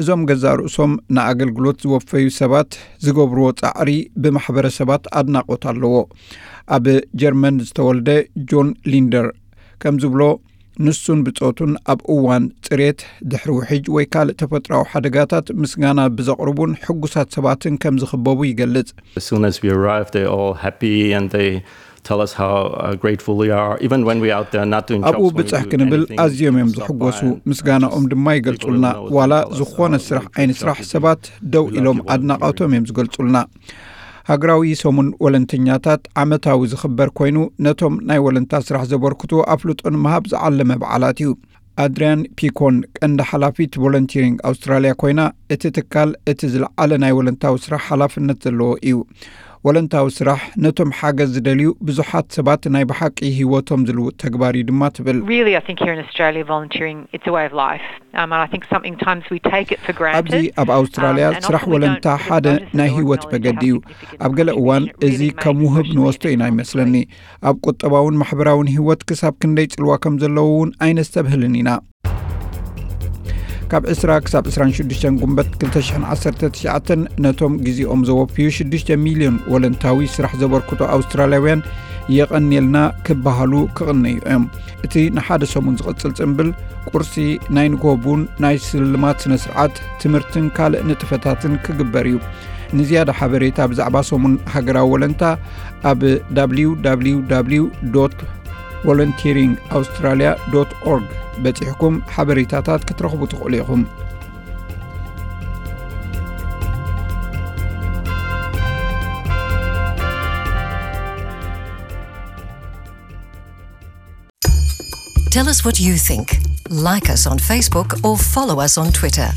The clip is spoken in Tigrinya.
እዞም ገዛእ ርእሶም ንኣገልግሎት ዝወፈዩ ሰባት ዝገብርዎ ጻዕሪ ብማሕበረሰባት ኣድናቖት ኣለዎ። ኣብ ጀርመን ዝተወልደ ጆን ሊንደር ከም ዝብሎ፣ ንሱን ብጾቱን ኣብ እዋን ጽሬት፣ ድሕሪ ውሕጅ ወይ ካልእ ተፈጥሮኣዊ ሓደጋታት ምስጋና ብዘቕርቡን ሕጉሳት ሰባትን ከም ዝኽበቡ ይገልጽ። As soon as we arrive, they're all happy and they tell us how uh, grateful we are, even when we're out there not doing ኣብኡ jobs. When we ብጽሕ do ክንብል anything, ኣዝዮም እዮም people stop by ዝሕጎሱ። and, uh, ምስጋናኦም just ድማ people ይገልጹልና። who know us ዋላ tell us, ዝኾነ uh, ስራሕ what a ዓይኒ great ስራሕ job you do. ሰባት ደው We love ኢሎም your volunteering. ኣድናቖቶም እዮም ዝገልጹልና። ሃገራዊ ሰሙን ወለንተኛታት ዓመታዊ ዝኽበር ኮይኑ፣ ነቶም ናይ ወለንታ ስራሕ ዘበርክቱ ኣፍልጦ ንምሃብ ዝዓለመ በዓላት እዩ። ኣድሪያን ፒኮን ቀንዲ ሓላፊት ቮለንቲሪንግ ኣውስትራልያ ኮይና፣ እቲ ትካል እቲ ዝለዓለ ናይ ወለንታዊ ስራሕ ሓላፍነት ዘለዎ እዩ። ወለንታዊ ስራሕ ነቶም ሓገዝ ዝደልዩ ብዙሓት ሰባት ናይ ብሓቂ ህይወቶም ዝልውጥ ተግባር እዩ ድማ ትብል። Really, I think here in Australia, volunteering, it's a way of life. Um, and I think sometimes we take it for ኣብዚ granted. ኣብ ኣውስትራልያ Um, and ስራሕ often we don't ወለንታ sort of ሓደ notice it ናይ or ህይወት acknowledge መገዲ how እዩ። significant ኣብ ገለ the እዋን contribution it እዚ really ከም makes ውህብ to the ንወስዶ ኢና community. ይመስለኒ። ኣብ ቁጠባውን ማሕበራውን ህይወት ክሳብ ክንደይ ጽልዋ ከም ዘለዎ እውን ኣይነስተብህልን ኢና። ካብ ዕስራ ክሳብ ዕስራን ሽዱሽተን ጉንበት ክልተ ሽሕን ዓሰርተ ትሽዓተን ነቶም ግዜኦም ዘወፍዩ ሽዱሽተ ሚልዮን ወለንታዊ ስራሕ ዘበርክቱ ኣውስትራልያውያን የቐንየልና ክበሃሉ ክቕነዩ እዮም። እቲ ንሓደ ሰሙን ዝቕጽል ጽምብል ቁርሲ፣ ናይ ንግሆ ቡን፣ ናይ ስልማት ስነ ስርዓት፣ ትምህርትን ካልእ ንጥፈታትን ክግበር እዩ። ንዝያዳ ሓበሬታ ብዛዕባ ሰሙን ሃገራዊ ወለንታ ኣብ www volunteering australia dot org በጺሕኩም ሓበሬታታት ክትረኽቡ ትኽእሉ ኢኹም። Tell us what you think. Like us on Facebook or follow us on Twitter.